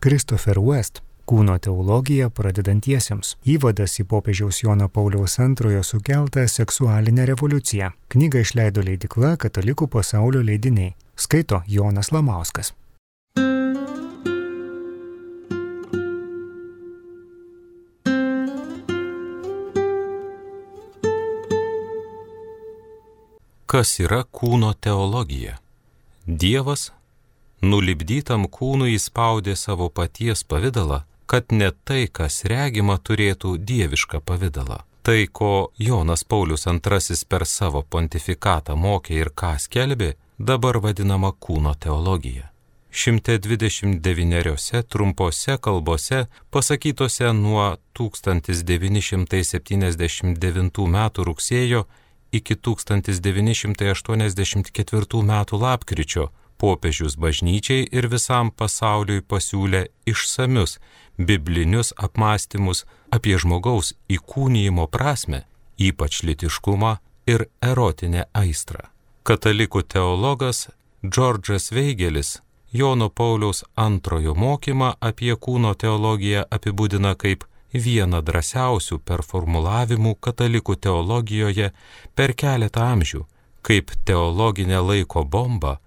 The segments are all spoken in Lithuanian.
Christopher West Kūno teologija pradedantiesiems. Įvadas į popiežiaus Jono Pauliaus II sukeltą seksualinę revoliuciją. Knygą išleido leidykla Katalikų pasaulio leidiniai. Skaito Jonas Lamauskas. Kas yra kūno teologija? Dievas nulipdytam kūnui įspaudė savo paties pavidalą, kad ne tai, kas regima, turėtų dievišką pavidalą. Tai, ko Jonas Paulius II per savo pontifikatą mokė ir ką skelbė, dabar vadinama kūno teologija. 129 trumpose kalbose, pasakytose nuo 1979 metų rugsėjo iki 1984 metų lapkričio, popiežius bažnyčiai ir visam pasauliui pasiūlė išsamius biblinius apmąstymus apie žmogaus įkūnijimo prasmę, ypač lytiškumą ir erotinę aistrą. Katalikų teologas Džordžas Veigelis Jono Pauliaus II mokymą apie kūno teologiją apibūdina kaip vieną drąsiausių performulavimų katalikų teologijoje per keletą amžių, kaip teologinė laiko bomba,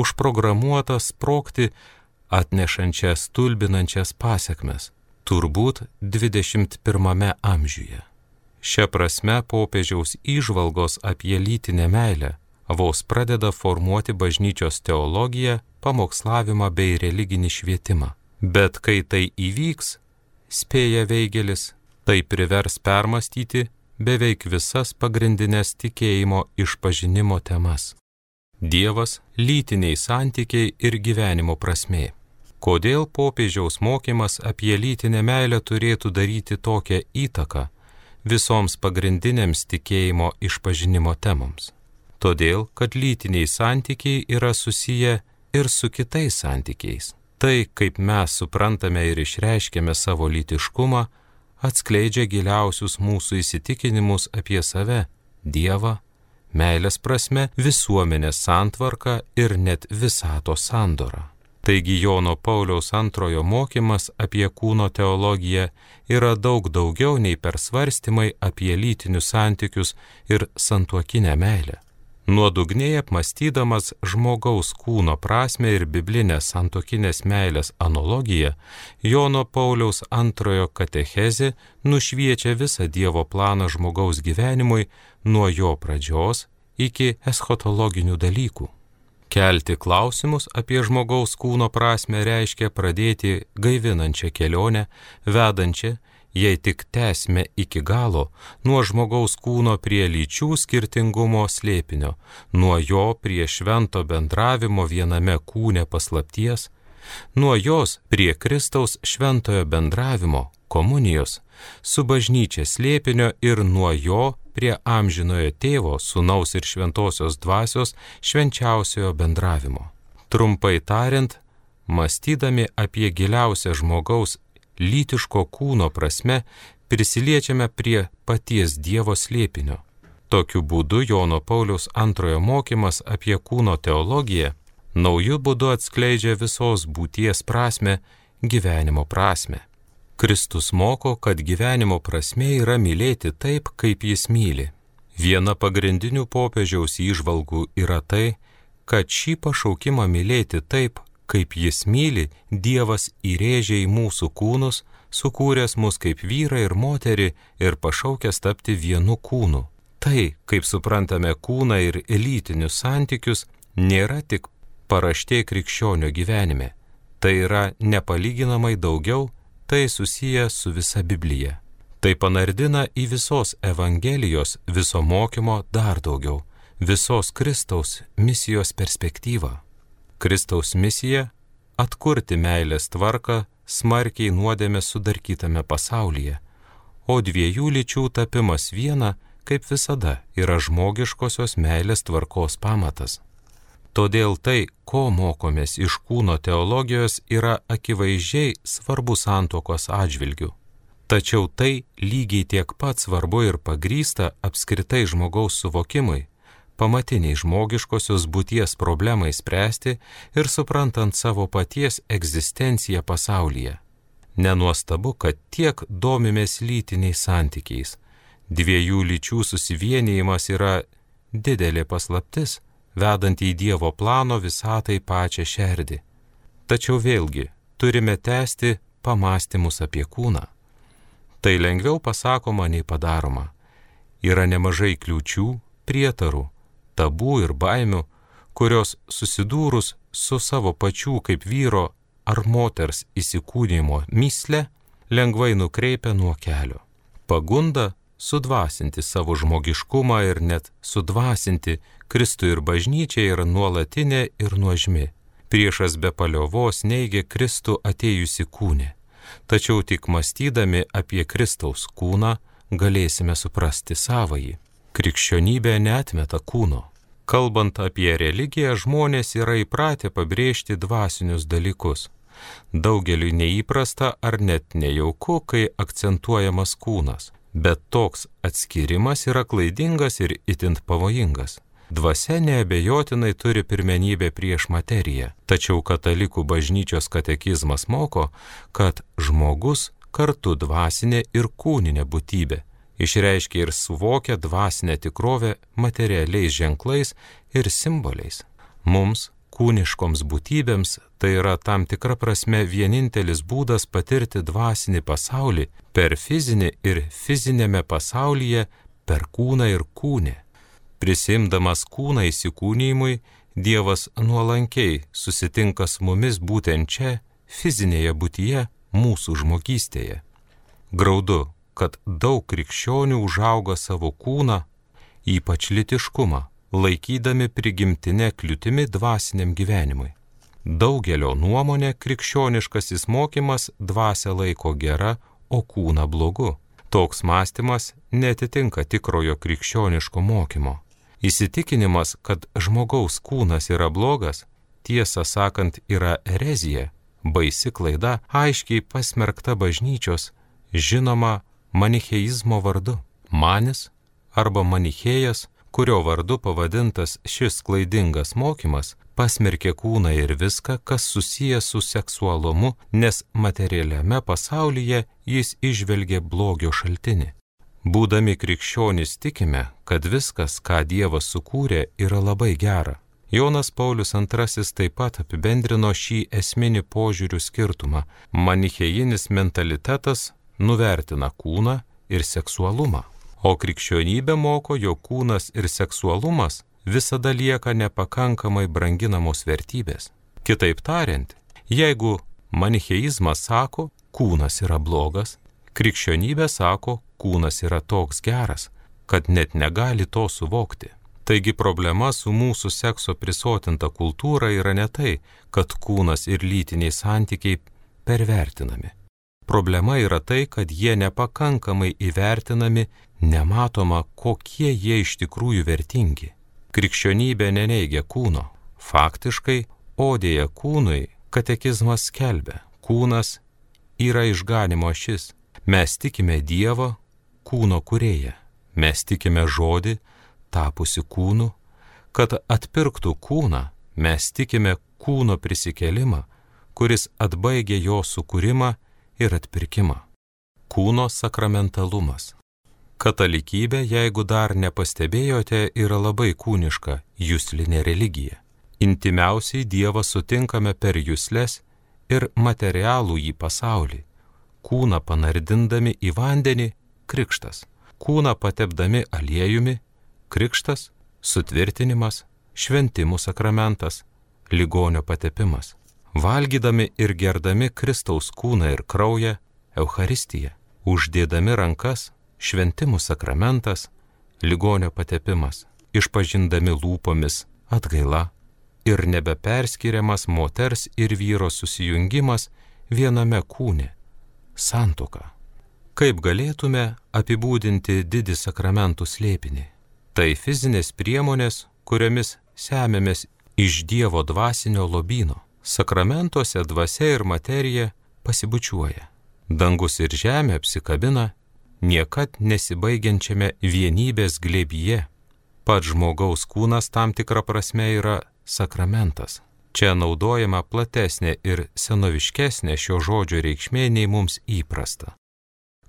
užprogramuota sprogti atnešančias stulbinančias pasekmes, turbūt 21 amžiuje. Šia prasme popiežiaus įžvalgos apie lytinę meilę vos pradeda formuoti bažnyčios teologiją, pamokslavimą bei religinį švietimą. Bet kai tai įvyks, spėja Veigelis, tai privers permastyti beveik visas pagrindinės tikėjimo išpažinimo temas. Dievas, lytiniai santykiai ir gyvenimo prasmė. Kodėl popiežiaus mokymas apie lytinę meilę turėtų daryti tokią įtaką visoms pagrindinėms tikėjimo išpažinimo temoms? Todėl, kad lytiniai santykiai yra susiję ir su kitais santykiais. Tai, kaip mes suprantame ir išreiškiame savo lytiškumą, atskleidžia giliausius mūsų įsitikinimus apie save, Dievą, meilės prasme, visuomenės santvarką ir net visatos sandorą. Taigi Jono Pauliaus II mokymas apie kūno teologiją yra daug daugiau nei persvarstymai apie lytinius santykius ir santuokinę meilę. Nuodugniai apmąstydamas žmogaus kūno prasmę ir biblinę santuokinės meilės analogiją, Jono Pauliaus II katechezė nušviečia visą Dievo planą žmogaus gyvenimui nuo jo pradžios iki eschatologinių dalykų. Kelti klausimus apie žmogaus kūno prasmę reiškia pradėti gaivinančią kelionę, vedančią, jei tik tęsime iki galo, nuo žmogaus kūno prie lyčių skirtingumo slėpinio, nuo jo prie švento bendravimo viename kūne paslapties, nuo jos prie Kristaus šventojo bendravimo, komunijos, su bažnyčia slėpinio ir nuo jo prie amžinojo tėvo, sūnaus ir šventosios dvasios švenčiausiojo bendravimo. Trumpai tariant, mąstydami apie giliausią žmogaus lytiško kūno prasme, prisiliečiame prie paties Dievo slėpinio. Tokiu būdu Jono Pauliaus II mokymas apie kūno teologiją naujų būdų atskleidžia visos būties prasmę, gyvenimo prasmę. Kristus moko, kad gyvenimo prasmė yra mylėti taip, kaip jis myli. Viena pagrindinių popiežiaus įžvalgų yra tai, kad šį pašaukimą mylėti taip, kaip jis myli, Dievas įrėžė į mūsų kūnus, sukūręs mus kaip vyrą ir moterį ir pašaukęs tapti vienu kūnu. Tai, kaip suprantame kūną ir lytinius santykius, nėra tik paraštė krikščionio gyvenime. Tai yra nepalyginamai daugiau, tai susiję su visa Biblija. Tai panardina į visos Evangelijos, viso mokymo dar daugiau, visos Kristaus misijos perspektyvą. Kristaus misija – atkurti meilės tvarką smarkiai nuodėmės sudarkytame pasaulyje, o dviejų lyčių tapimas viena, kaip visada, yra žmogiškosios meilės tvarkos pamatas. Todėl tai, ko mokomės iš kūno teologijos, yra akivaizdžiai svarbu santuokos atžvilgiu. Tačiau tai lygiai tiek pat svarbu ir pagrįsta apskritai žmogaus suvokimui, pamatiniai žmogiškosios būties problemai spręsti ir suprantant savo paties egzistenciją pasaulyje. Nenuostabu, kad tiek domimės lytiniais santykiais. Dviejų lyčių susivienijimas yra didelė paslaptis, vedanti į Dievo plano visatai pačią šerdį. Tačiau vėlgi turime tęsti pamąstymus apie kūną. Tai lengviau pasakoma nei padaroma. Yra nemažai kliūčių, prietarų, tabų ir baimių, kurios susidūrus su savo pačių kaip vyro ar moters įsikūnijimo mįsle lengvai nukreipia nuo kelio. Pagunda sudvasinti savo žmogiškumą ir net sudvasinti Kristų ir bažnyčią yra nuolatinė ir nuožmi. Priešas be paliovos neigia Kristų atėjusi kūne. Tačiau tik mąstydami apie Kristaus kūną galėsime suprasti savąjį. Krikščionybė neatmeta kūno. Kalbant apie religiją, žmonės yra įpratę pabrėžti dvasinius dalykus. Daugeliui neįprasta ar net nejauku, kai akcentuojamas kūnas. Bet toks atskirimas yra klaidingas ir itin pavojingas. Dvasia neabejotinai turi pirmenybę prieš materiją, tačiau katalikų bažnyčios katekizmas moko, kad žmogus kartu dvasinė ir kūninė būtybė, išreiškia ir suvokia dvasinę tikrovę materialiais ženklais ir simboliais. Mums, kūniškoms būtybėms, tai yra tam tikra prasme vienintelis būdas patirti dvasinį pasaulį per fizinį ir fizinėme pasaulyje per kūną ir kūnę. Prisimdamas kūną įsikūnijimui, Dievas nuolankiai susitinka su mumis būtent čia, fizinėje būtyje, mūsų žmogystėje. Graudu, kad daug krikščionių užauga savo kūną, ypač lytiškumą, laikydami prigimtinę kliūtimi dvasiniam gyvenimui. Daugelio nuomonė krikščioniškasis mokymas dvasią laiko gera, o kūną blogu. Toks mąstymas netitinka tikrojo krikščioniško mokymo. Įsitikinimas, kad žmogaus kūnas yra blogas, tiesą sakant, yra erezija, baisi klaida, aiškiai pasmerkta bažnyčios, žinoma manicheizmo vardu. Manis arba manichėjas, kurio vardu pavadintas šis klaidingas mokymas, pasmerkė kūną ir viską, kas susijęs su seksualumu, nes materialiame pasaulyje jis įžvelgė blogio šaltinį. Būdami krikščionys tikime, kad viskas, ką Dievas sukūrė, yra labai gera. Jonas Paulius II taip pat apibendrino šį esminį požiūrių skirtumą. Manichėjinis mentalitetas nuvertina kūną ir seksualumą, o krikščionybė moko, jog kūnas ir seksualumas visada lieka nepakankamai branginamos vertybės. Kitaip tariant, jeigu manicheizmas sako, kūnas yra blogas, krikščionybė sako, kūnas yra toks geras, kad net negali to suvokti. Taigi problema su mūsų sekso prisotinta kultūra yra ne tai, kad kūnas ir lytiniai santykiai pervertinami. Problema yra tai, kad jie nepakankamai įvertinami, nematoma, kokie jie iš tikrųjų vertingi. Krikščionybė neneigia kūno. Faktiškai, odėje kūnui katekizmas skelbia, kūnas yra išganimo ašis. Mes tikime Dievą, kūno kūrėją. Mes tikime žodį, tapusi kūnu, kad atpirktų kūną, mes tikime kūno prisikėlimą, kuris atbaigė jo sukūrimą ir atpirkimą. Kūno sakramentalumas. Katalikybė, jeigu dar nepastebėjote, yra labai kūniška, juslinė religija. Intimiausiai Dievą sutinkame per jusles ir materialų į pasaulį. Kūną panardindami į vandenį – krikštas. Kūną patepdami aliejumi – krikštas, sutvirtinimas, šventimų sakramentas, ligonio patepimas. Valgydami ir gerdami Kristaus kūną ir kraują – Eucharistija. Uždėdami rankas – šventimų sakramentas, ligonio patepimas. Išpažindami lūpomis – atgaila. Ir nebeperskiriamas moters ir vyro susijungimas viename kūne – santuoka. Kaip galėtume apibūdinti didį sakramentų slėpinį? Tai fizinės priemonės, kuriomis semiamės iš Dievo dvasinio lobyno. Sakramentuose dvasia ir materija pasibučiuoja. Dangus ir žemė apsikabina niekad nesibaigiančiame vienybės glėbyje. Pats žmogaus kūnas tam tikra prasme yra sakramentas. Čia naudojama platesnė ir senoviškesnė šio žodžio reikšmė nei mums įprasta.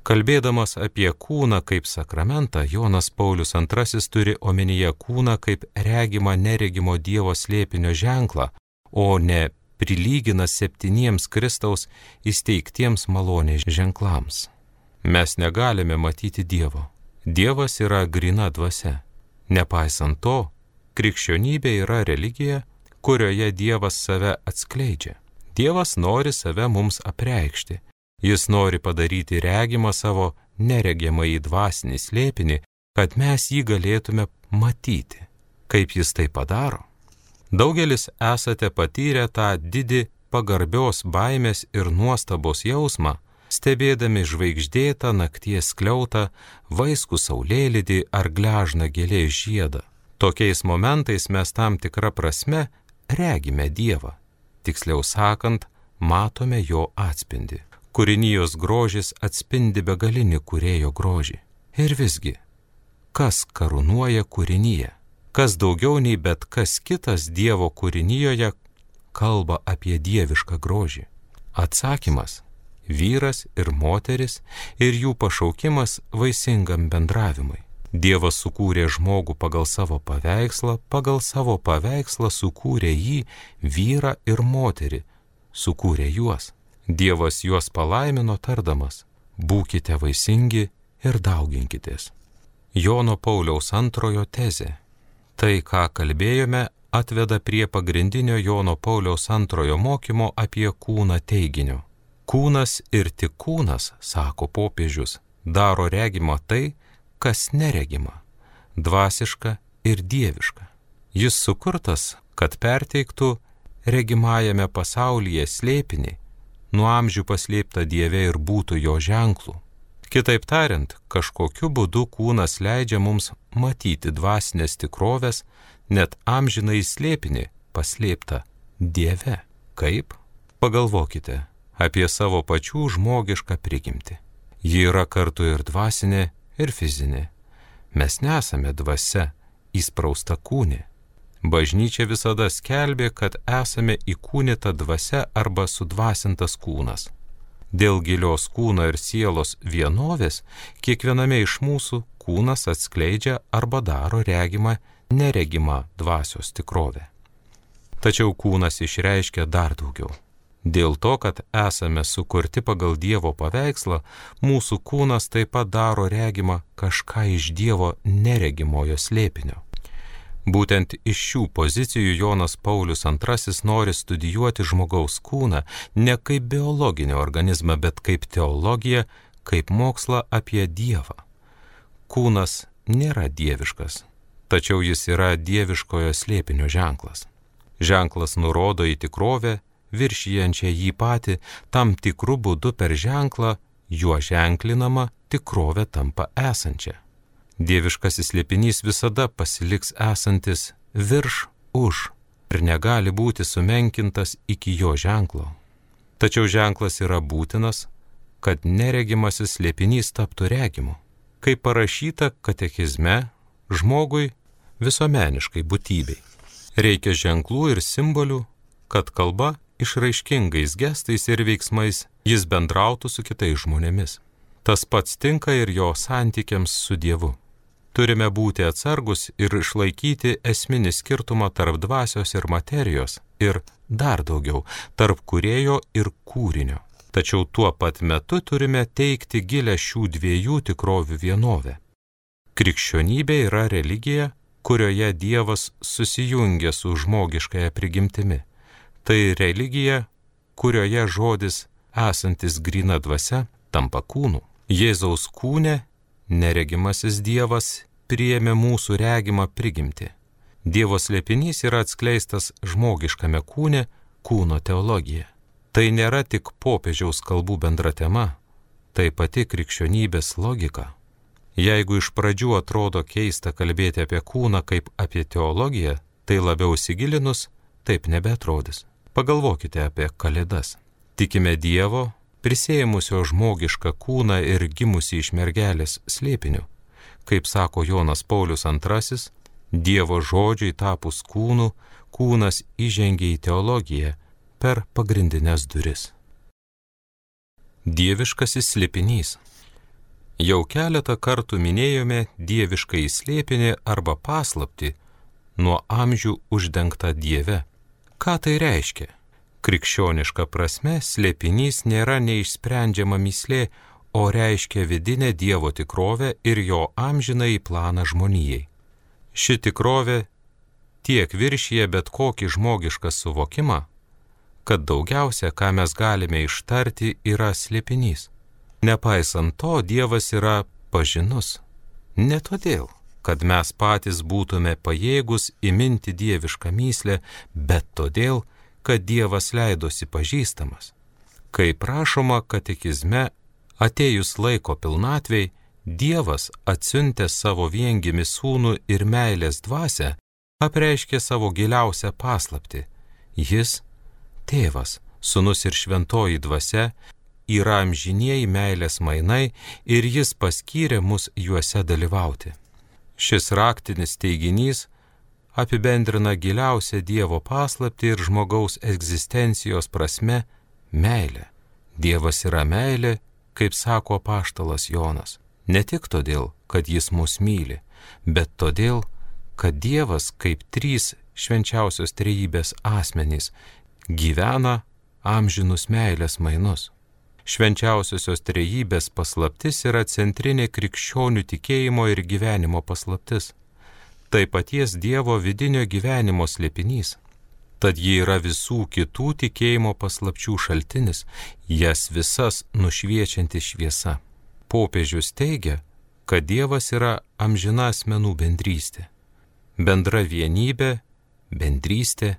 Kalbėdamas apie kūną kaip sakramentą, Jonas Paulius II turi omenyje kūną kaip regimą neregimo Dievo slėpinio ženklą, o ne prilygina 7 Kristaus įsteigtiems malonės ženklams. Mes negalime matyti Dievo. Dievas yra gryna dvasia. Nepaisant to, krikščionybė yra religija, kurioje Dievas save atskleidžia. Dievas nori save mums apreikšti. Jis nori padaryti regimą savo neregiamąjį dvasinį slėpinį, kad mes jį galėtume matyti. Kaip jis tai padaro? Daugelis esate patyrę tą didį pagarbios baimės ir nuostabos jausmą, stebėdami žvaigždėtą nakties skliautą, vaiskų saulėlydį ar gležną gėlės žiedą. Tokiais momentais mes tam tikrą prasme regime Dievą. Tiksliau sakant, matome jo atspindį. Kūrinijos grožis atspindi begalinį kūrėjo grožį. Ir visgi, kas karūnuoja kūrinyje? Kas daugiau nei bet kas kitas Dievo kūrinijoje kalba apie dievišką grožį? Atsakymas – vyras ir moteris ir jų pašaukimas vaisingam bendravimui. Dievas sukūrė žmogų pagal savo paveikslą sukūrė jį, vyrą ir moterį, sukūrė juos. Dievas juos palaimino tardamas, būkite vaisingi ir dauginkitės. Jono Pauliaus II tezė. Tai, ką kalbėjome, atveda prie pagrindinio Jono Pauliaus II mokymo apie kūną teiginio. Kūnas ir tik kūnas, sako popiežius, daro regimą tai, kas neregima, dvasiška ir dieviška. Jis sukurtas, kad perteiktų regimajame pasaulyje slėpinį, nuo amžių paslėptą Dieve ir būtų jo ženklų. Kitaip tariant, kažkokiu būdu kūnas leidžia mums matyti dvasinės tikrovės, net amžinai slėpinį paslėptą Dieve. Kaip? Pagalvokite apie savo pačių žmogišką prigimtį. Ji yra kartu ir dvasinė, ir fizinė. Mes nesame dvasia, įsprausta kūne. Bažnyčia visada skelbė, kad esame įkūnyta dvasia arba sudvasintas kūnas. Dėl gilios kūno ir sielos vienovės, kiekviename iš mūsų kūnas atskleidžia arba daro regimą, neregimą dvasios tikrovę. Tačiau kūnas išreiškia dar daugiau. Dėl to, kad esame sukurti pagal Dievo paveikslą, mūsų kūnas taip pat daro regimą kažką iš Dievo neregimojo slėpinio. Būtent iš šių pozicijų Jonas Paulius II nori studijuoti žmogaus kūną ne kaip biologinį organizmą, bet kaip teologiją, kaip mokslą apie Dievą. Kūnas nėra dieviškas, tačiau jis yra dieviškojo slėpinio ženklas. Ženklas nurodo į tikrovę, viršijančią jį patį, tam tikrų būdų per ženklą, juo ženklinama tikrovė tampa esančia. Dieviškasis slėpinys visada pasiliks esantis virš, už ir negali būti sumenkintas iki jo ženklo. Tačiau ženklas yra būtinas, kad neregimasis slėpinys taptų regimu. Kaip parašyta katekizme, žmogui visuomeniškai būtybei reikia ženklų ir simbolių, kad kalba išraiškingais gestais ir veiksmais jis bendrautų su kitais žmonėmis. Tas pats tinka ir jo santykiams su Dievu. Turime būti atsargus ir išlaikyti esminį skirtumą tarp dvasios ir materijos ir dar daugiau tarp kūrėjo ir kūrinio. Tačiau tuo pat metu turime teikti gilę šių dviejų tikrovių vienovę. Krikščionybė yra religija, kurioje Dievas susijungia su žmogiškąja prigimtimi. Tai religija, kurioje žodis esantis gryna dvasia tampa kūnu. Jėzaus kūne neregimasis Dievas priėmė mūsų regimą prigimtį. Dievo slėpinys yra atskleistas žmogiškame kūne, kūno teologija. Tai nėra tik popiežiaus kalbų bendra tema, tai pati krikščionybės logika. Jeigu iš pradžių atrodo keista kalbėti apie kūną kaip apie teologiją, tai labiau įsigilinus, taip nebeatrodys. Pagalvokite apie Kalėdas. Tikime Dievo, prisėmusio žmogišką kūną ir gimusį iš mergelės slėpiniu. Kaip sako Jonas Paulius II, Dievo žodžiui tapus kūnu, kūnas įžengė į teologiją per pagrindinės duris. Dieviškasis slėpinys. Jau keletą kartų minėjome dieviškąjį slėpinį arba paslaptį, nuo amžių uždengtą Dieve. Ką tai reiškia? Krikščioniška prasme slėpinys nėra neišsprendžiama mįslė, o reiškia vidinę Dievo tikrovę ir jo amžinąjį planą žmonijai. Ši tikrovė tiek viršyje bet kokį žmogišką suvokimą, kad daugiausia, ką mes galime ištarti, yra slėpinys. Nepaisant to, Dievas yra pažinus. Ne todėl, kad mes patys būtume pajėgus įminti dievišką mįslę, bet todėl, kad Dievas leidosi pažįstamas. Kaip rašoma katekizme, atėjus laiko pilnatvei, Dievas atsiuntęs savo viengimį sūnų ir meilės dvasią, apreiškė savo giliausią paslaptį. Jis, Tėvas, Sūnus ir Šventoji dvasia, yra amžinieji meilės mainai ir jis paskyrė mus juose dalyvauti. Šis raktinis teiginys apibendrina giliausią Dievo paslaptį ir žmogaus egzistencijos prasme meilę. Dievas yra meilė, kaip sako apaštalas Jonas, ne tik todėl, kad jis mus myli, bet todėl, kad Dievas kaip trys švenčiausios trejybės asmenys gyvena amžinus meilės mainus. Švenčiausiosios trejybės paslaptis yra centrinė krikščionių tikėjimo ir gyvenimo paslaptis. Tai paties Dievo vidinio gyvenimo slėpinys. Tad ji yra visų kitų tikėjimo paslapčių šaltinis, jas visas nušviečianti šviesa. Popiežius teigia, kad Dievas yra amžina asmenų bendrystė. Bendra vienybė, bendrystė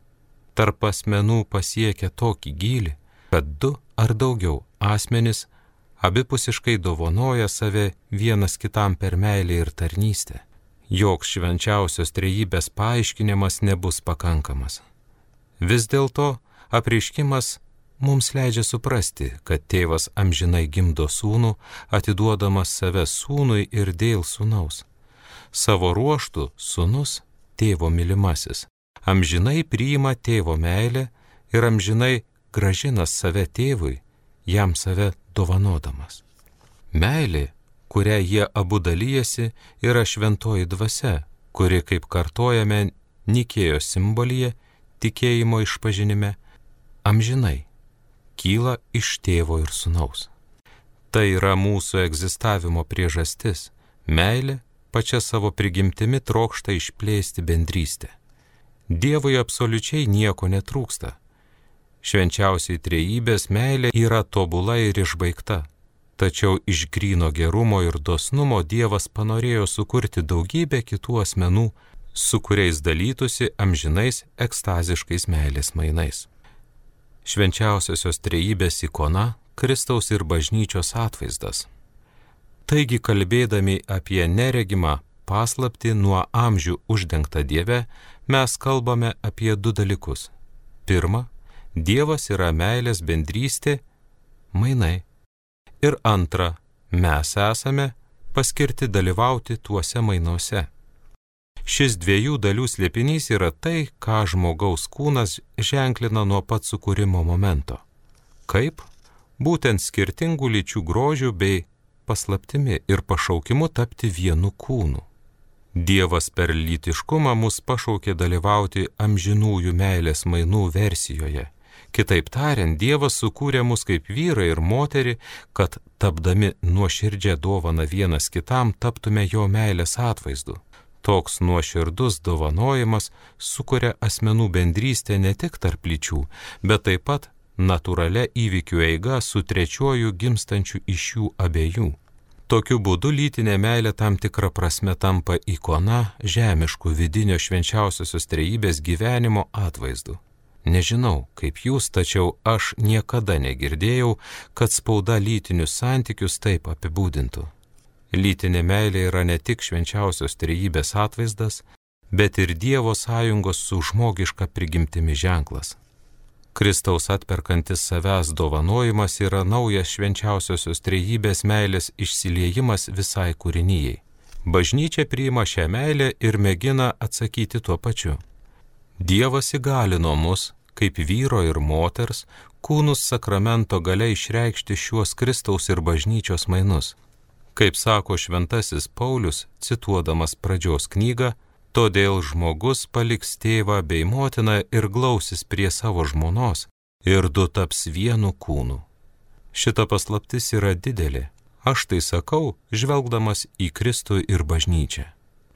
tarp asmenų pasiekia tokį gylį, kad du ar daugiau asmenys abipusiškai dovanoja save vienas kitam per meilę ir tarnystę. Joks švenčiausios trejybės paaiškinimas nebus pakankamas. Vis dėlto apreiškimas mums leidžia suprasti, kad tėvas amžinai gimdo sūnų, atiduodamas save sūnui ir dėl sūnaus. Savo ruožtu sūnus, tėvo mylimasis, amžinai priima tėvo meilę ir amžinai grąžina save tėvui, jam save dovanodamas. Meilė, kurią jie abu dalyjasi, yra šventoji dvasia, kuri, kaip kartojame Nikėjos simbolyje, tikėjimo išpažinime, amžinai kyla iš tėvo ir sūnaus. Tai yra mūsų egzistavimo priežastis. Meilė pačia savo prigimtimi trokšta išplėsti bendrystę. Dievui absoliučiai nieko netrūksta. Švenčiausiai trejybės meilė yra tobula ir išbaigta. Tačiau iš gryno gerumo ir dosnumo Dievas panorėjo sukurti daugybę kitų asmenų, su kuriais dalytųsi amžinais ekstaziškais meilės mainais. Švenčiausiosios trejybės ikona Kristaus ir bažnyčios atvaizdas. Taigi, kalbėdami apie neregimą paslaptį nuo amžių uždengtą Dieve, mes kalbame apie du dalykus. Pirma, Dievas yra meilės bendrystė, mainai. Ir antra, mes esame paskirti dalyvauti tuose mainuose. Šis dviejų dalių slėpinys yra tai, ką žmogaus kūnas ženklina nuo pat sukūrimo momento. Kaip? Būtent skirtingų lyčių grožių bei paslaptimi ir pašaukimu tapti vienu kūnu. Dievas per lytiškumą mus pašaukė dalyvauti amžinųjų meilės mainų versijoje. Kitaip tariant, Dievas sukūrė mus kaip vyrą ir moterį, kad tapdami nuoširdžią dovaną vienas kitam taptume jo meilės atvaizdu. Toks nuoširdus dovanojimas sukuria asmenų bendrystę ne tik tarp lyčių, bet taip pat natūralia įvykių eiga su trečiuoju gimstančiu iš jų abiejų. Tokiu būdu lytinė meilė tam tikrą prasme tampa ikona žemiškų vidinio švenčiausiosios trejybės gyvenimo atvaizdu. Nežinau, kaip jūs, tačiau aš niekada negirdėjau, kad spauda lytinius santykius taip apibūdintų. Lytinė meilė yra ne tik švenčiausios trejybės atvaizdas, bet ir Dievo sąjungos su žmogiška prigimtimi ženklas. Kristaus atperkantis savęs dovanojimas yra naujas švenčiausiosios trejybės meilės išsiliejimas visai kūrinijai. Bažnyčia priima šią meilę ir mėgina atsakyti tuo pačiu. Dievas įgalino mus, kaip vyro ir moters, kūnus sakramento galia išreikšti šiuos Kristaus ir bažnyčios mainus. Kaip sako šventasis Paulius, cituodamas pradžios knygą, todėl žmogus paliks tėvą bei motiną ir glausis prie savo žmonos, ir du taps vienu kūnu. Šita paslaptis yra didelė. Aš tai sakau, žvelgdamas į Kristų ir bažnyčią.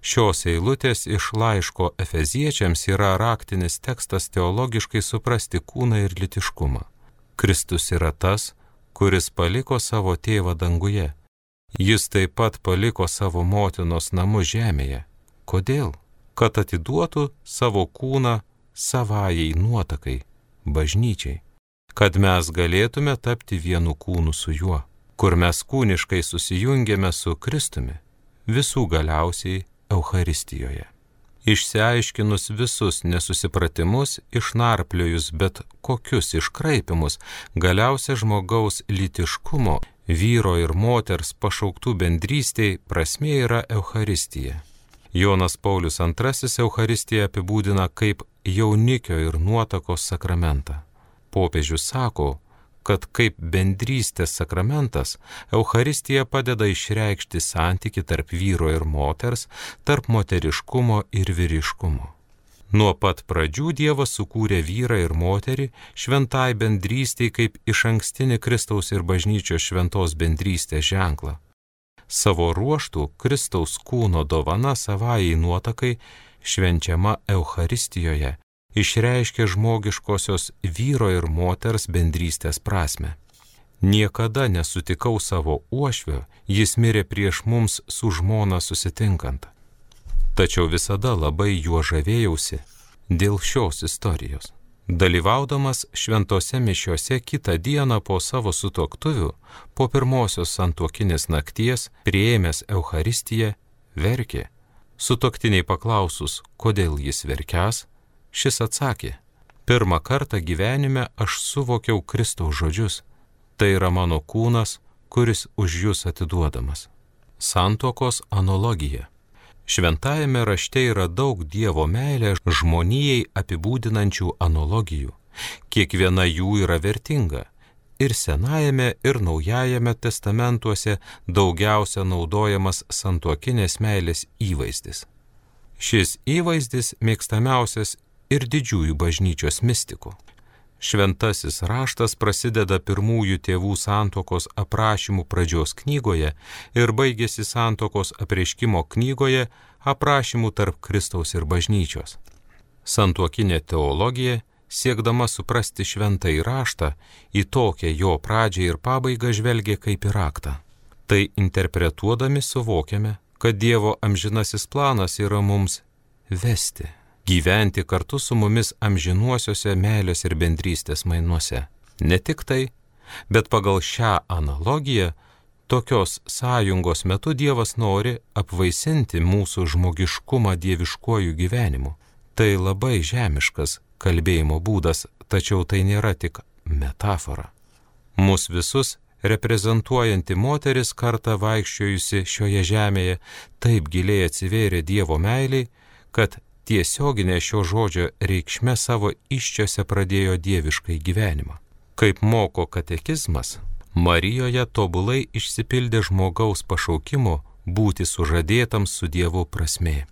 Šios eilutės iš laiško Efeziečiams yra raktinis tekstas teologiškai suprasti kūną ir lytiškumą. Kristus yra tas, kuris paliko savo tėvą danguje. Jis taip pat paliko savo motinos namus žemėje. Kodėl? Kad atiduotų savo kūną savajai nuotakai, bažnyčiai. Kad mes galėtume tapti vienu kūnu su juo, kur mes kūniškai susijungėme su Kristumi, visų galiausiai Eucharistijoje. Išsiaiškinus visus nesusipratimus, išnarpliojus bet kokius iškraipimus, galiausia žmogaus lytiškumo, vyro ir moters pašauktų bendrystėj prasmė yra Eucharistija. Jonas Paulius II Eucharistiją apibūdina kaip jaunikio ir nuotakos sakramentą. Popiežius sako, kad kaip bendrystės sakramentas, Eucharistija padeda išreikšti santykį tarp vyro ir moters, tarp moteriškumo ir vyriškumo. Nuo pat pradžių Dievas sukūrė vyrą ir moterį šventai bendrystei kaip išankstinį Kristaus ir bažnyčios šventos bendrystės ženklą. Savo ruožtų Kristaus kūno dovana savajai nuotakai švenčiama Eucharistijoje išreiškia žmogiškosios vyro ir moters bendrystės prasme. Niekada nesutikau savo uošvio, jis mirė prieš mums su žmona susitinkant. Tačiau visada labai juo žavėjausi dėl šios istorijos. Dalyvaudamas šventose mišiose kitą dieną po savo sutuoktuvių, po pirmosios santuokinės nakties, priėmęs Eucharistiją, verkė. Sutuoktiniai paklausus, kodėl jis verkiąs, šis atsakė, pirmą kartą gyvenime aš suvokiau Kristaus žodžius, tai yra mano kūnas, kuris už jūs atiduodamas. Santuokos analogija. Šventajame rašte yra daug Dievo meilę žmonijai apibūdinančių analogijų. Kiekviena jų yra vertinga. Ir Senajame, ir Naujajame testamentuose daugiausia naudojamas santuokinės meilės įvaizdis. Šis įvaizdis mėgstamiausias ir didžiųjų bažnyčios mistikų. Šventasis raštas prasideda pirmųjų tėvų santuokos aprašymų pradžios knygoje ir baigėsi santuokos apreiškimo knygoje aprašymų tarp Kristaus ir bažnyčios. Santuokinė teologija, siekdama suprasti šventąjį raštą, į tokią jo pradžią ir pabaigą žvelgia kaip į raktą. Tai interpretuodami suvokiame, kad Dievo amžinasis planas yra mums vesti, gyventi kartu su mumis amžinuosiuose meilės ir bendrystės mainuose. Ne tik tai, bet pagal šią analogiją, tokios sąjungos metu Dievas nori apvaisinti mūsų žmogiškumą dieviškuoju gyvenimu. Tai labai žemiškas kalbėjimo būdas, tačiau tai nėra tik metafora. Mus visus reprezentuojanti moteris kartą vaikščiojusi šioje žemėje taip giliai atsivėrė Dievo meiliai, kad tiesioginė šio žodžio reikšme savo iščiose pradėjo dieviškai gyvenimą. Kaip moko katekizmas, Marijoje tobulai išsipildė žmogaus pašaukimo būti sužadėtam su Dievu prasmė.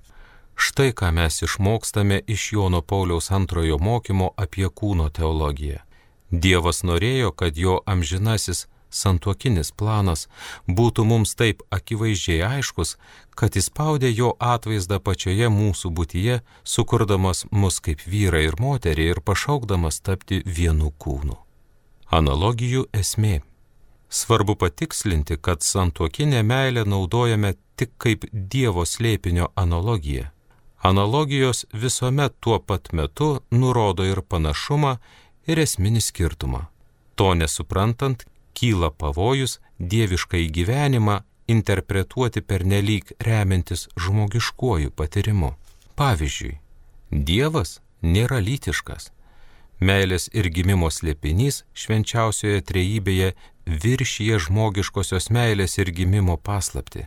Štai ką mes išmokstame iš Jono Pauliaus II mokymo apie kūno teologiją. Dievas norėjo, kad jo amžinasis santuokinis planas būtų mums taip akivaizdžiai aiškus, kad įspaudė jo atvaizdą pačioje mūsų būtyje, sukurdamas mus kaip vyrą ir moterį ir pašaukdamas tapti vienu kūnu. Analogijų esmė. Svarbu patikslinti, kad santuokinę meilę naudojame tik kaip Dievo slėpinio analogiją. Analogijos visuomet tuo pat metu nurodo ir panašumą, ir esminį skirtumą. To nesuprantant, kyla pavojus dieviškai gyvenimą interpretuoti pernelyg remiantis žmogiškuoju patyrimu. Pavyzdžiui, Dievas nėra lytiškas. Meilės ir gimimo slėpinys švenčiausioje trejybėje viršyje žmogiškosios meilės ir gimimo paslaptį.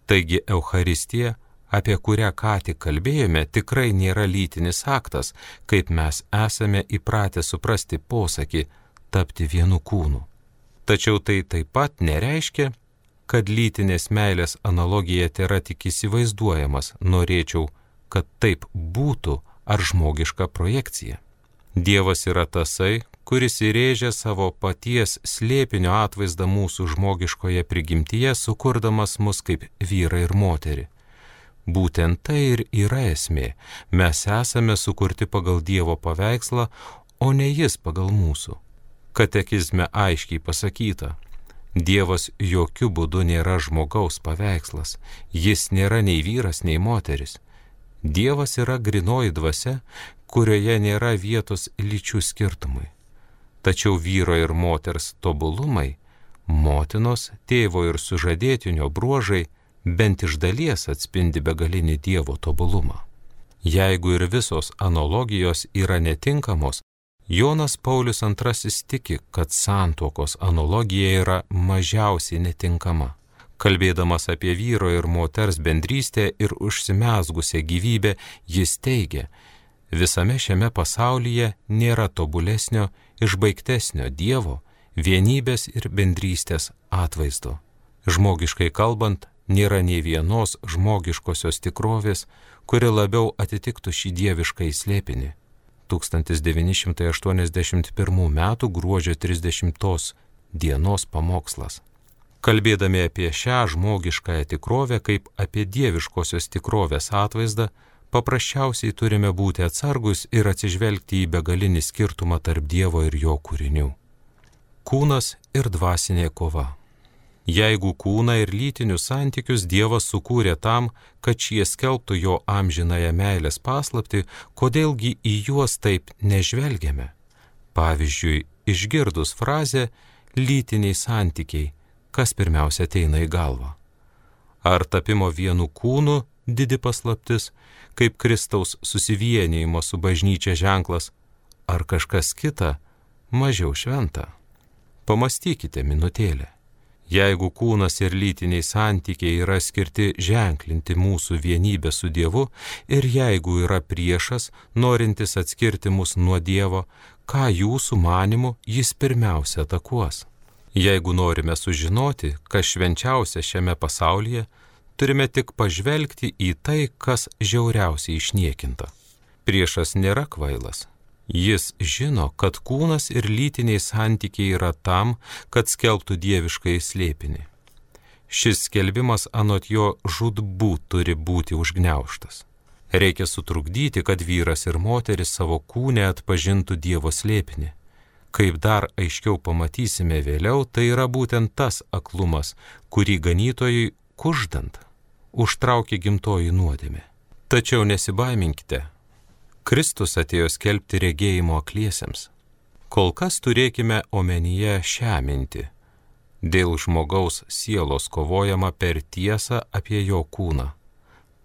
Taigi Eucharistija, apie kurią ką tik kalbėjome, tikrai nėra lytinis aktas, kaip mes esame įpratę suprasti posakį tapti vienu kūnu. Tačiau tai taip pat nereiškia, kad lytinės meilės analogija tėra tik įsivaizduojamas, norėčiau, kad taip būtų, ar žmogiška projekcija. Dievas yra tasai, kuris įrėžė savo paties slėpinio atvaizdą mūsų žmogiškoje prigimtyje, sukurdamas mus kaip vyrą ir moterį. Būtent tai ir yra esmė. Mes esame sukurti pagal Dievo paveikslą, o ne jis pagal mūsų. Katekizme aiškiai pasakyta, Dievas jokių būdų nėra žmogaus paveikslas, jis nėra nei vyras, nei moteris. Dievas yra grynoji dvasia, kurioje nėra vietos lyčių skirtumui. Tačiau vyro ir moters tobulumai, motinos, tėvo ir sužadėtinio bruožai bent iš dalies atspindi begalinį Dievo tobulumą. Jeigu ir visos analogijos yra netinkamos, Jonas Paulius II tiki, kad santuokos analogija yra mažiausiai netinkama. Kalbėdamas apie vyro ir moters bendrystę ir užsimezgusią gyvybę, jis teigia, visame šiame pasaulyje nėra tobulesnio, išbaigtesnio Dievo, vienybės ir bendrystės atvaizdo. Žmogiškai kalbant, nėra nei vienos žmogiškosios tikrovės, kuri labiau atitiktų šį dievišką slėpinį. 1981 m. gruodžio 30 dienos pamokslas. Kalbėdami apie šią žmogiškąją tikrovę kaip apie dieviškosios tikrovės atvaizdą, paprasčiausiai turime būti atsargus ir atsižvelgti į begalinį skirtumą tarp Dievo ir jo kūrinių. Kūnas ir dvasinė kova. Jeigu kūną ir lytinius santykius Dievas sukūrė tam, kad šie skelbtų jo amžinąją meilės paslaptį, kodėlgi į juos taip nežvelgiame? Pavyzdžiui, išgirdus frazę lytiniai santykiai, kas pirmiausia ateina į galvą? Ar tapimo vienu kūnu didi paslaptis, kaip Kristaus susivienijimo su bažnyčia ženklas, ar kažkas kita, mažiau šventa? Pamastykite minutėlę. Jeigu kūnas ir lytiniai santykiai yra skirti ženklinti mūsų vienybę su Dievu ir jeigu yra priešas, norintis atskirti mus nuo Dievo, ką jūsų manimu jis pirmiausia atakuos? Jeigu norime sužinoti, kas švenčiausia šiame pasaulyje, turime tik pažvelgti į tai, kas žiauriausiai išniekinta. Priešas nėra kvailas. Jis žino, kad kūnas ir lytiniai santykiai yra tam, kad skelbtų dieviškai slėpinį. Šis skelbimas anot jo žūtbūt turi būti užgniaužtas. Reikia sutrukdyti, kad vyras ir moteris savo kūne atpažintų Dievo slėpinį. Kaip dar aiškiau pamatysime vėliau, tai yra būtent tas aklumas, kurį ganytojui kuždant užtraukė gimtoji nuodėmė. Tačiau nesibaiminkite. Kristus atėjo skelbti regėjimo akliesiems. Kol kas turėkime omenyje šią mintį. Dėl žmogaus sielos kovojama per tiesą apie jo kūną.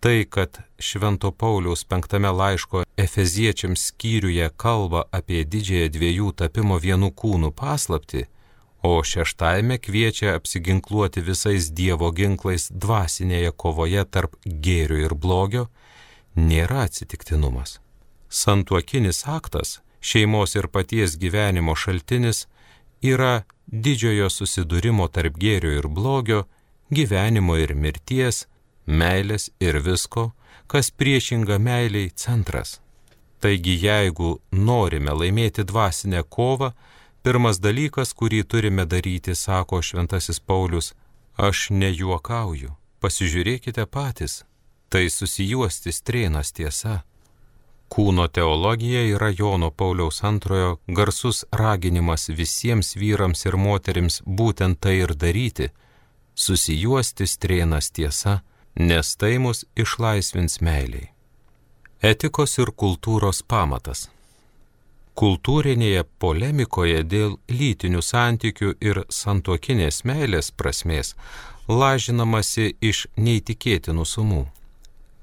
Tai, kad Švento Pauliaus 5 laiško Efeziečiams skyriuje kalba apie didžiąją dviejų tapimo vienu kūnu paslaptį, o 6 kviečia apsiginkluoti visais Dievo ginklais dvasinėje kovoje tarp gėrio ir blogio, nėra atsitiktinumas. Santuokinis aktas, šeimos ir paties gyvenimo šaltinis, yra didžiojo susidūrimo tarp gėrio ir blogio, gyvenimo ir mirties, meilės ir visko, kas priešinga meiliai centras. Taigi, jeigu norime laimėti dvasinę kovą, pirmas dalykas, kurį turime daryti, sako Šventasis Paulius, aš nejuokauju, pasižiūrėkite patys, tai susijuosti strėnas tiesa. Kūno teologija yra Jono Pauliaus II garsus raginimas visiems vyrams ir moterims būtent tai ir daryti, susijuosti strėnas tiesa, nes tai mus išlaisvins meiliai. Etikos ir kultūros pamatas. Kultūrinėje polemikoje dėl lytinių santykių ir santuokinės meilės prasmės lažinamasi iš neįtikėtinų sumų.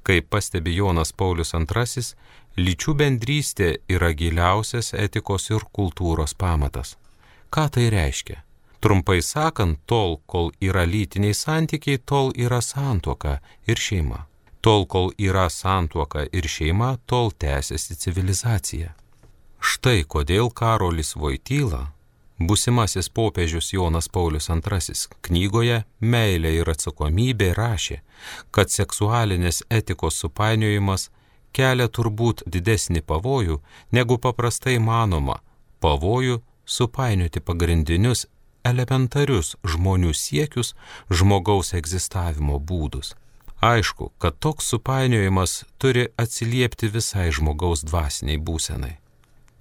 Kaip pastebi Jonas Paulius II, lyčių bendrystė yra giliausias etikos ir kultūros pamatas. Ką tai reiškia? Trumpai sakant, tol, kol yra lytiniai santykiai, tol yra santuoka ir šeima. Tol, kol yra santuoka ir šeima, tol tęsiasi civilizacija. Štai kodėl Karolis Voityla, būsimasis popiežius Jonas Paulius II, knygoje Meilė ir atsakomybė rašė, kad seksualinės etikos supainiojimas kelia turbūt didesnį pavojų, negu paprastai manoma, pavojų supainioti pagrindinius elementarius žmonių siekius, žmogaus egzistavimo būdus. Aišku, kad toks supainiojimas turi atsiliepti visai žmogaus dvasiniai būsenai.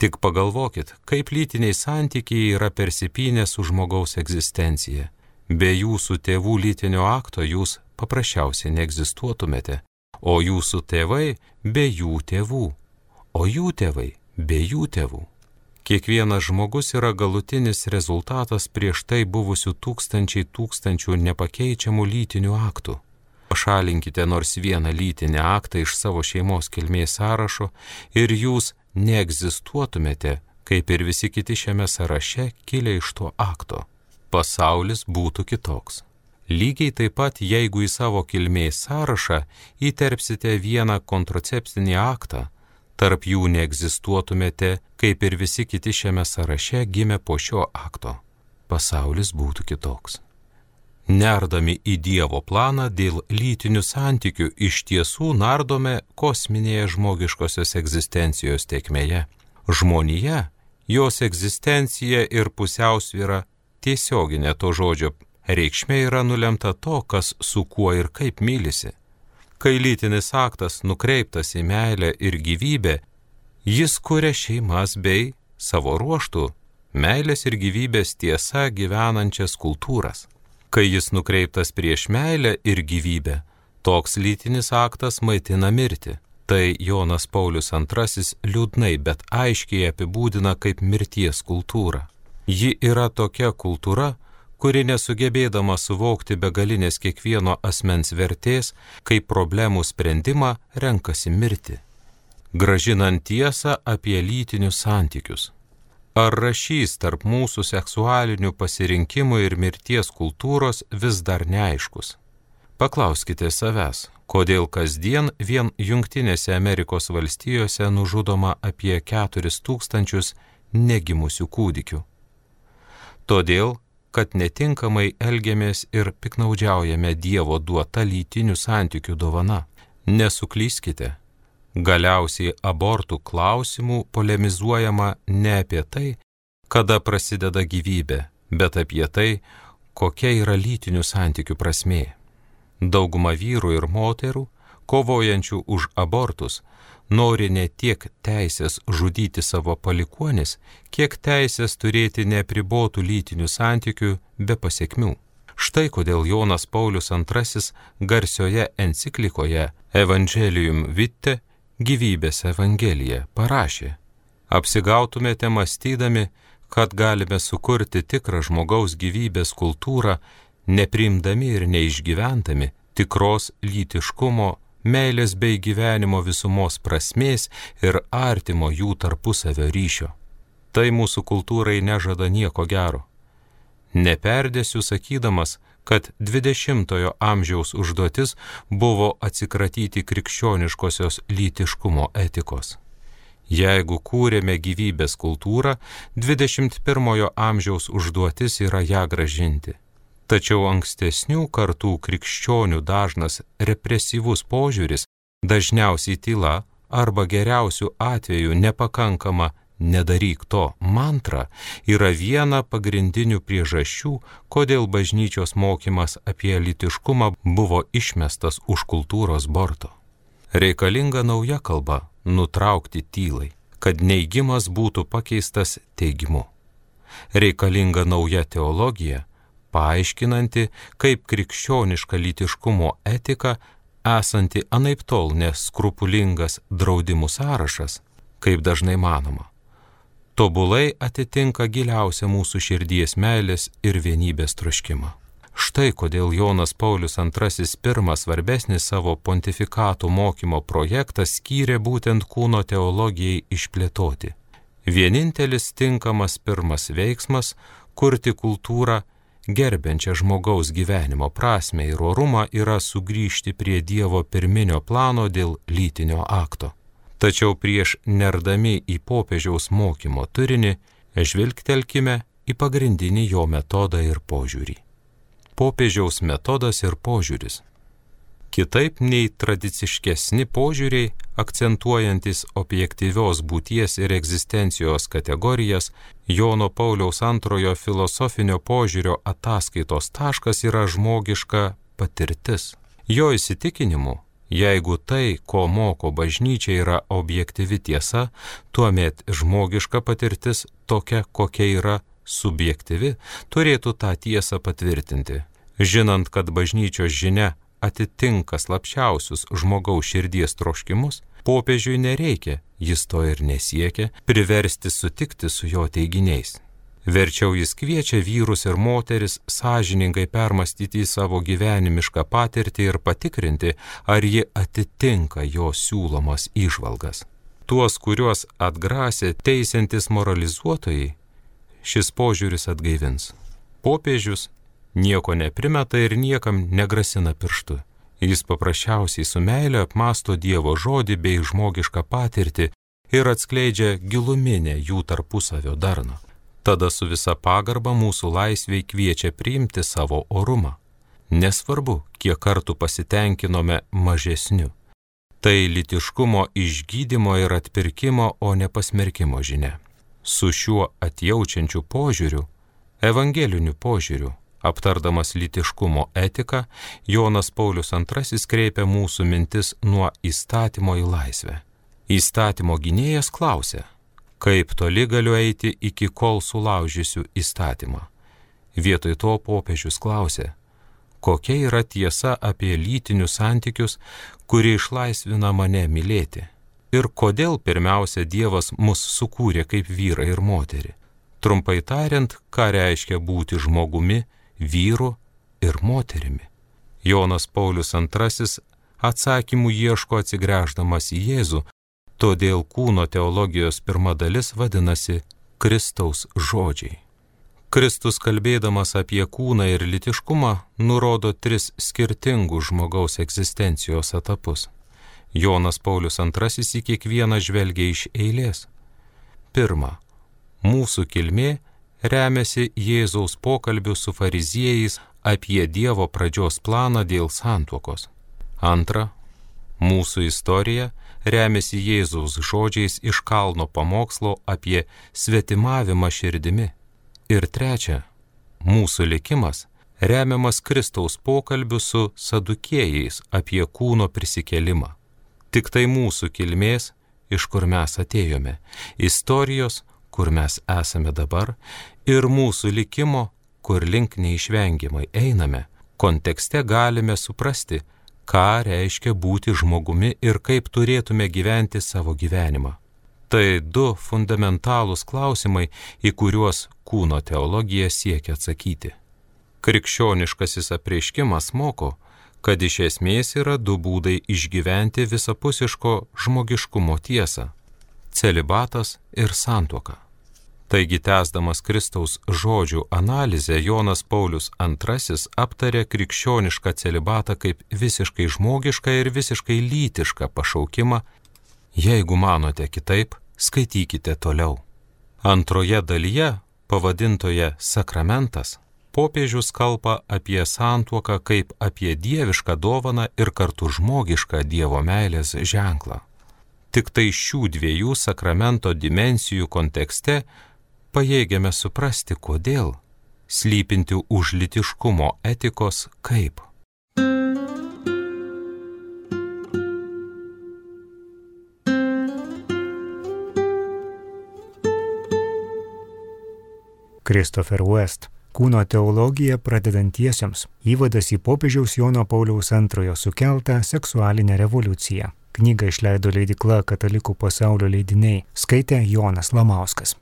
Tik pagalvokit, kaip lytiniai santykiai yra persipynę su žmogaus egzistencija. Be jūsų tėvų lytinio akto jūs paprasčiausiai neegzistuotumėte, o jūsų tėvai be jų tėvų, o jų tėvai be jų tėvų. Kiekvienas žmogus yra galutinis rezultatas prieš tai buvusių tūkstančių nepakeičiamų lytinių aktų. Pašalinkite nors vieną lytinį aktą iš savo šeimos kilmės sąrašo ir jūs neegzistuotumėte, kaip ir visi kiti šiame sąraše kilę iš to akto. Pasaulis būtų kitoks. Lygiai taip pat, jeigu į savo kilmės sąrašą įterpsite vieną kontracepcinį aktą, tarp jų neegzistuotumėte, kaip ir visi kiti šiame sąraše gimę po šio akto. Pasaulis būtų kitoks. Nerdami į Dievo planą dėl lytinių santykių iš tiesų nardome kosminėje žmogiškosios egzistencijos tėkmėje. Žmonija, jos egzistencija ir pusiausvyra tiesioginė to žodžio reikšmė yra nulemta to, kas su kuo ir kaip mylisi. Kai lytinis aktas nukreiptas į meilę ir gyvybę, jis kuria šeimas bei, savo ruožtų, meilės ir gyvybės tiesa gyvenančias kultūras. Kai jis nukreiptas prieš meilę ir gyvybę, toks lytinis aktas maitina mirtį. Tai Jonas Paulius II liūdnai, bet aiškiai apibūdina kaip mirties kultūrą. Ji yra tokia kultūra, kuri nesugebėdama suvokti begalinės kiekvieno asmens vertės, kaip problemų sprendimą renkasi mirti. Gražinant tiesą apie lytinius santykius. Ar rašys tarp mūsų seksualinių pasirinkimų ir mirties kultūros vis dar neaiškus? Paklauskite savęs, kodėl kasdien vien Jungtinėse Amerikos valstijose nužudoma apie 4000 negimusių kūdikių. Todėl, kad netinkamai elgiamės ir piknaudžiaujame Dievo duota lytinių santykių dovana. Nesuklyskite. Galiausiai abortų klausimų polemizuojama ne apie tai, kada prasideda gyvybė, bet apie tai, kokia yra lytinių santykių prasmė. Dauguma vyrų ir moterų, kovojančių už abortus, nori ne tiek teisės žudyti savo palikuonis, kiek teisės turėti neapribotų lytinių santykių be pasekmių. Štai kodėl Jonas Paulius II garsioje enciklikoje Evangelium Vitae, gyvybės evangelija, parašė: apsigautumėte mąstydami, kad galime sukurti tikrą žmogaus gyvybės kultūrą, nepriimdami ir neišgyventami tikros lytiškumo, meilės bei gyvenimo visumos prasmės ir artimo jų tarpusavio ryšio. Tai mūsų kultūrai nežada nieko gero. Neperdėsiu sakydamas, kad 20-ojo amžiaus užduotis buvo atsikratyti krikščioniškosios lytiškumo etikos. Jeigu kūrėme gyvybės kultūrą, 21-ojo amžiaus užduotis yra ją grąžinti. Tačiau ankstesnių kartų krikščionių dažnas represyvus požiūris, dažniausiai tyla arba geriausių atveju nepakankama nedaryk to mantra, yra viena pagrindinių priežasčių, kodėl bažnyčios mokymas apie lytiškumą buvo išmestas už kultūros borto. Reikalinga nauja kalba nutraukti tylai, kad neigimas būtų pakeistas teigimu. Reikalinga nauja teologija, paaiškinanti, kaip krikščioniška lytiškumo etika, esanti anaiptol neskrupulingas draudimų sąrašas, kaip dažnai manoma, tobulai atitinka giliausią mūsų širdies meilės ir vienybės troškimą. Štai kodėl Jonas Paulius II pirmą svarbesnį savo pontifikatų mokymo projektą skyrė būtent kūno teologijai išplėtoti. Vienintelis tinkamas pirmas veiksmas Kurti kultūrą, gerbiančią žmogaus gyvenimo prasmę ir orumą, yra sugrįžti prie Dievo pirminio plano dėl lytinio akto. Tačiau prieš nerdami į popiežiaus mokymo turinį, žvilgtelkime į pagrindinį jo metodą ir požiūrį. Popiežiaus metodas ir požiūris. Kitaip nei tradiciškesni požiūriai, akcentuojantis objektyvios būties ir egzistencijos kategorijas, Jono Pauliaus II filosofinio požiūrio ataskaitos taškas yra žmogiška patirtis. Jo įsitikinimu, jeigu tai, ko moko bažnyčia, yra objektyvi tiesa, tuomet žmogiška patirtis tokia, kokia yra subjektyvi, turėtų tą tiesą patvirtinti. Žinant, kad bažnyčios žinia atitinka slapčiausius žmogaus širdies troškimus, popiežiui nereikia, jis to ir nesiekia, priversti sutikti su jo teiginiais. Verčiau jis kviečia vyrus ir moteris sąžiningai permastyti savo gyvenimišką patirtį ir patikrinti, ar ji atitinka jo siūlomas įžvalgas. Tuos, kuriuos atgrasė teisiantis moralizuotojai, šis požiūris atgaivins. Popiežius nieko neprimeta ir niekam negrasina pirštu. Jis paprasčiausiai su meile apmąsto Dievo žodį bei žmogišką patirtį ir atskleidžia giluminę jų tarpusavio darną. Tada su visa pagarba mūsų laisvei kviečia priimti savo orumą. Nesvarbu, kiek kartų pasitenkinome mažesniu. Tai lytiškumo išgydymo ir atpirkimo, o ne pasmerkimo žinia. Su šiuo atjaučiančiu požiūriu, evangeliniu požiūriu, aptardamas lytiškumo etiką, Jonas Paulius II kreipia mūsų mintis nuo įstatymo į laisvę. Įstatymo gynėjas klausia, kaip toli galiu eiti iki kol sulaužysiu įstatymą. Vietoj to popiežius klausia, kokia yra tiesa apie lytinius santykius, kuri išlaisvina mane mylėti. Ir kodėl pirmiausia Dievas mus sukūrė kaip vyrą ir moterį. Trumpai tariant, ką reiškia būti žmogumi, vyru ir moterimi. Jonas Paulius II atsakymų ieško atsigręždamas į Jėzų, todėl kūno teologijos pirma dalis vadinasi Kristaus žodžiai. Kristus, kalbėdamas apie kūną ir lytiškumą, nurodo 3 skirtingus žmogaus egzistencijos etapus. Jonas Paulius II į kiekvieną žvelgia iš eilės. Pirma, mūsų kilmė remiasi Jėzaus pokalbiu su fariziejais apie Dievo pradžios planą dėl santuokos. Antra, mūsų istorija remiasi Jėzaus žodžiais iš kalno pamokslo apie svetimavimą širdimi. Ir trečia, mūsų likimas remiamas Kristaus pokalbiu su sadukėjais apie kūno prisikėlimą. Tik tai mūsų kilmės, iš kur mes atėjome, istorijos, kur mes esame dabar, ir mūsų likimo, kur link neišvengiamai einame, kontekste galime suprasti, ką reiškia būti žmogumi ir kaip turėtume gyventi savo gyvenimą. Tai 2 fundamentalūs klausimai, į kuriuos kūno teologija siekia atsakyti. Krikščioniškasis apreiškimas moko, kad iš esmės yra 2 būdai išgyventi visapusiško žmogiškumo tiesą – celibatas ir santuoka. Taigi, tęsdamas Kristaus žodžių analizę, Jonas Paulius II aptarė krikščionišką celibatą kaip visiškai žmogišką ir visiškai lytišką pašaukimą. Jeigu manote kitaip, skaitykite toliau. Antroje dalyje, pavadintoje Sakramentas, popiežius kalba apie santuoką kaip apie dievišką dovaną ir kartu žmogišką Dievo meilės ženklą. Tik tai šių 2 sakramento dimensijų kontekste pajėgiame suprasti, kodėl, slypinti už lytiškumo etikos kaip. Christopher West. Kūno teologija pradedantiesiems. Įvadas į popiežiaus Jono Pauliaus II sukeltą seksualinę revoliuciją. Knygą išleido leidykla Katalikų pasaulio leidiniai. Skaitė Jonas Lamauskas.